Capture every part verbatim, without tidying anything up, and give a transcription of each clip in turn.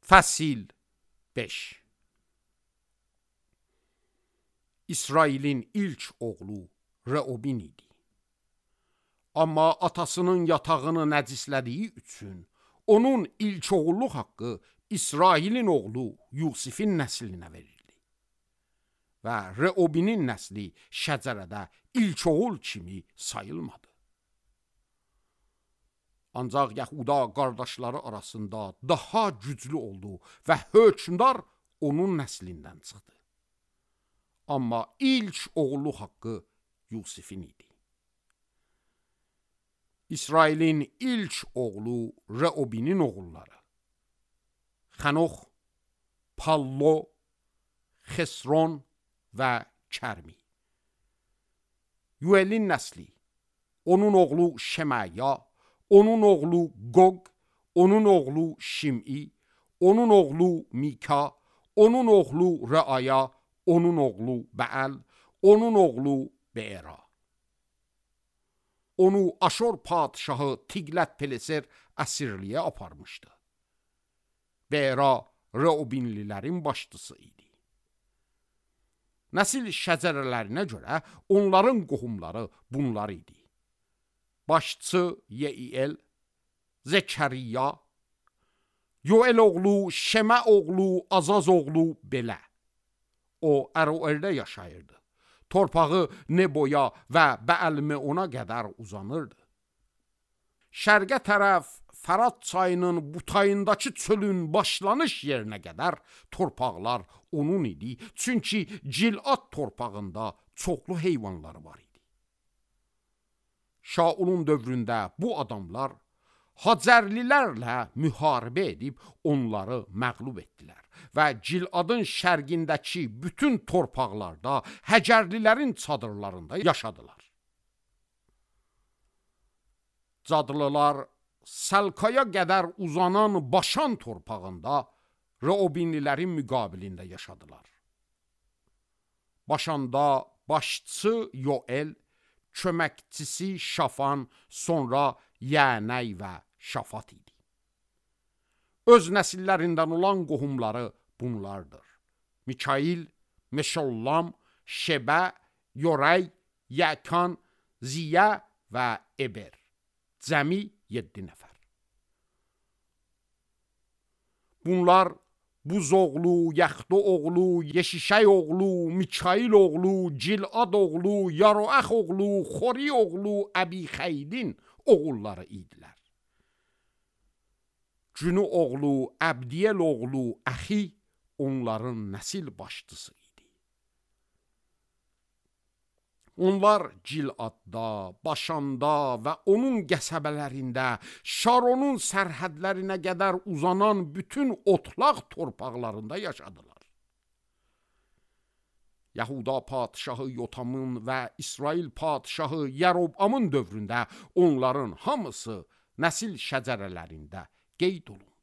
Fəsil beş. İsrailin ilk oğlu Reobin idi. Amma atasının yatağını nəcislədiyi üçün onun ilk oğulluq haqqı İsrailin oğlu Yusifin nəslinə verildi. Və Reobinin nəsli şəcərədə ilk oğul kimi sayılmadı. Ancaq Yahuda qardaşları arasında daha güclü oldu və hökmdar onun nəslindən çıxdı. Amma ilk oğulluq haqqı Yusifin idi. İsrailin ilk oğlu Reobinin oğulları Xanox, Pallo, Xesron və Kərmi. Yuelin nəsli, onun oğlu Şemaya, onun oğlu Qoq, onun oğlu Şim'i, onun oğlu Mika, onun oğlu Reaya, onun oğlu Bəəl, onun oğlu Beera. Onu Aşor padşahı Tiqlət-Pileser əsirliyə aparmışdı. Beera Reobinlilərin başçısı idi. Nəsil şəcərələrinə görə onların qohumları bunlar idi. Başçı Yeiel, Zekəriya, Yoel oğlu, Şemə oğlu, Azaz oğlu Belə. O Əroerdə yaşayırdı. Torpağı Neboya və Bəəl-Meona qədər uzanırdı. Şərqə tərəf Fərat çayının butayındakı çölün başlanış yerinə qədər torpaqlar onun idi. Çünki Cilad torpağında çoxlu heyvanları var idi. Şaulun dövründə bu adamlar Hacərlilərlə müharibə edib onları məğlub etdilər və Ciladın şərqindəki bütün torpaqlarda Həcərlilərin çadırlarında yaşadılar. Cadlılar Səlkaya qədər uzanan Başan torpağında Reobinlilərin müqabilində yaşadılar. Başanda başçı Yoel, köməkçisi Şafan, sonra Yənəy və Şafat idi. Öz nəsillərindən olan qohumları bunlardır. Mikail, Meşollam, Şebə, Yorey, Yəkan, Ziyə və Eber. Cəmi yeddi nəfər. Bunlar Buz oğlu, Yaxdo oğlu, Yeşişay oğlu, Mikail oğlu, Cilad oğlu, Yaroax oğlu, Xori oğlu, Əbixeydin oğulları idilər. Cünü oğlu, Əbdiyel oğlu, Əxi onların nəsil başçısı idi. Onlar Ciladda, Başanda və onun qəsəbələrində, Şaronun sərhədlərinə qədər uzanan bütün otlaq torpaqlarında yaşadılar. Yahuda padşahı Yotamın və İsrail padşahı Yərobamın dövründə onların hamısı nəsil şəcərələrində qeyd olundu.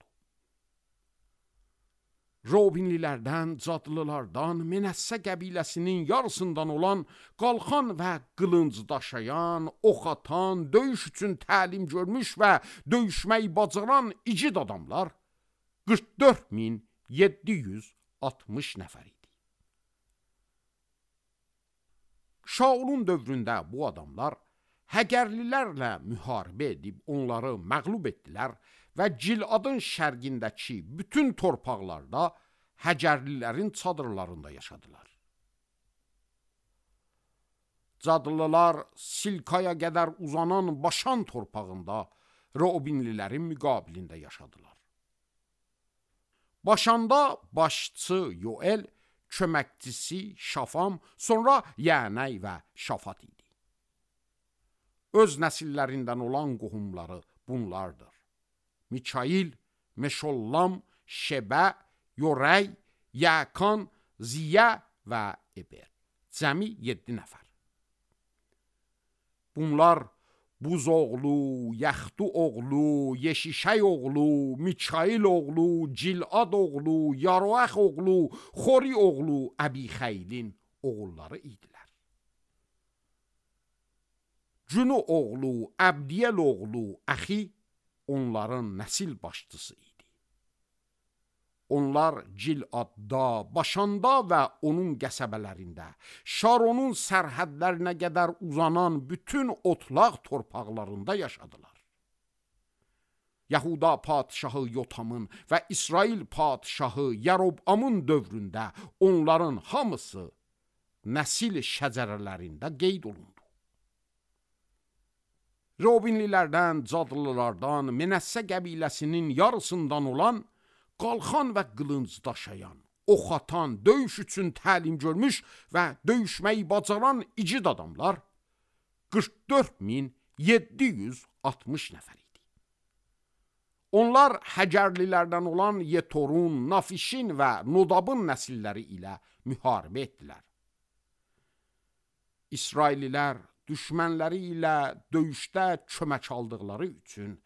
Reobinlilərdən, Cadlılardan, Menəssə qəbiləsinin yarısından olan qalxan və qılınc daşıyan, ox atan, döyüş üçün təlim görmüş və döyüşməyi bacaran igid adamlar qırx dörd min yeddi yüz altmış nəfər idi. Şaulun dövründə bu adamlar Həgərlilərlə müharibə edib onları məğlub etdilər və Ciladın şərqindəki bütün torpaqlarda Həcərlilərin çadırlarında yaşadılar. Cadlılar Silkaya qədər uzanan Başan torpağında Reobinlilərin müqabilində yaşadılar. Başanda başçı Yoel, köməkçisi Şafam, sonra Yənəy və Şafat idi. Öz nəsillərindən olan qohumları bunlardır. Mikail, Meşollam, Şebə, Yorey, Yəkan, Ziyə və Eber. Cəmi yeddi nəfər. Bunlar Buz oğlu, Yaxdu oğlu, Yeşişay oğlu, Mikail oğlu, Cilad oğlu, Yaroax oğlu, Xori oğlu, Əbixeydin oğulları idilər. Cünü oğlu, Əbdiyel oğlu, Əxi onların nəsil başçısı idi. Onlar Giladda, Başanda və onun qəsəbələrində, Şaronun sərhədlərinə qədər uzanan bütün otlaq torpaqlarında yaşadılar. Yahuda padşahı Yotamın və İsrail padşahı Yarobamın dövründə onların hamısı nəsil şəcərələrində qeyd olundu. Robinlilərdən, Cadlılardan, Menəssə qəbiləsinin yarısından olan qalxan və qılınc daşıyan, ox atan, döyüş üçün təlim görmüş və döyüşməyi bacaran igid adamlar qırx dörd min yeddi yüz altmış nəfər idi. Onlar Həcərlilərdən olan Yetorun, Nafişin və Nodabın nəsilləri ilə müharibə etdilər. İsraililər düşmənləri ilə döyüşdə kömək aldıqları üçün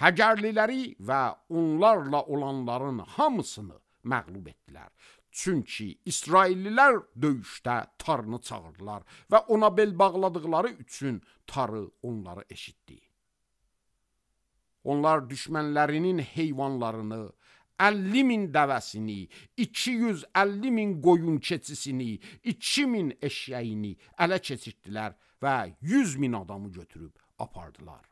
Həcərliləri və onlarla olanların hamısını məğlub etdilər. Çünki İsraillilər döyüşdə Tarını çağırdılar və ona bel bağladıqları üçün Tarı onları eşitdi. Onlar düşmənlərinin heyvanlarını, əlli min dəvəsini, iki yüz əlli min qoyun keçisini, iki min eşyəyini ələ keçirdilər və yüz min adamı götürüb apardılar.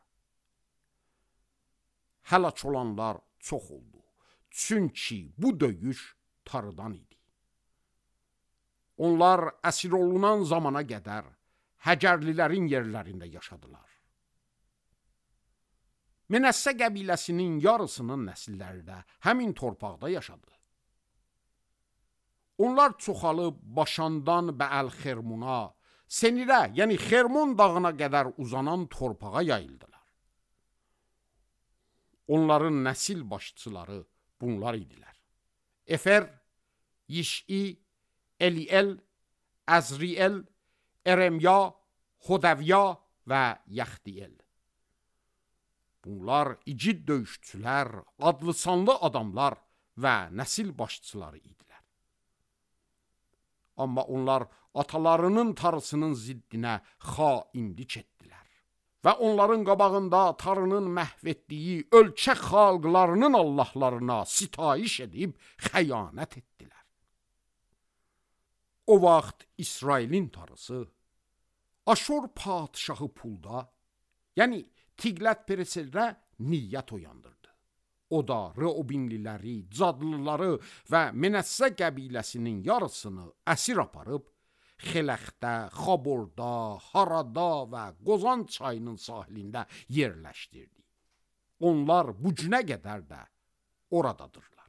Həlak olanlar çox oldu. Çünki bu döyüş Tarıdan idi. Onlar əsir olunan zamana qədər Həcərlilərin yerlərində yaşadılar. Menəssə qəbiləsinin yarısının nəsilləri də həmin torpaqda yaşadı. Onlar çoxalıb Başandan Bəəl-Xermuna, Senirə, yəni Xermon dağına qədər uzanan torpağa yayıldılar. Onların nəsil başçıları bunlar idilər. Efer, Yiş'i, Eliel, Əzriel, Eremya, Hodəvya və Yaxdiel. Bunlar igid döyüşçülər, adlı sanlı adamlar və nəsil başçıları idilər. Amma onlar atalarının tarısının ziddinə xainlik etdilər və onların qabağında Tarının məhv etdiyi ölkə xalqlarının allahlarına sitayiş edib xəyanət etdilər. O vaxt İsrailin tarısı Aşur padşahı Pulda, yəni Tiqlət-Pileserə niyyət oyandırdı. O da Reobinliləri, Cadlıları və Menəssə qəbiləsinin yarısını əsir aparıb, Xeləxdə, Xaborda, Harada və Qozan çayının sahilində yerləşdirdi. Onlar bu günə qədər də oradadırlar.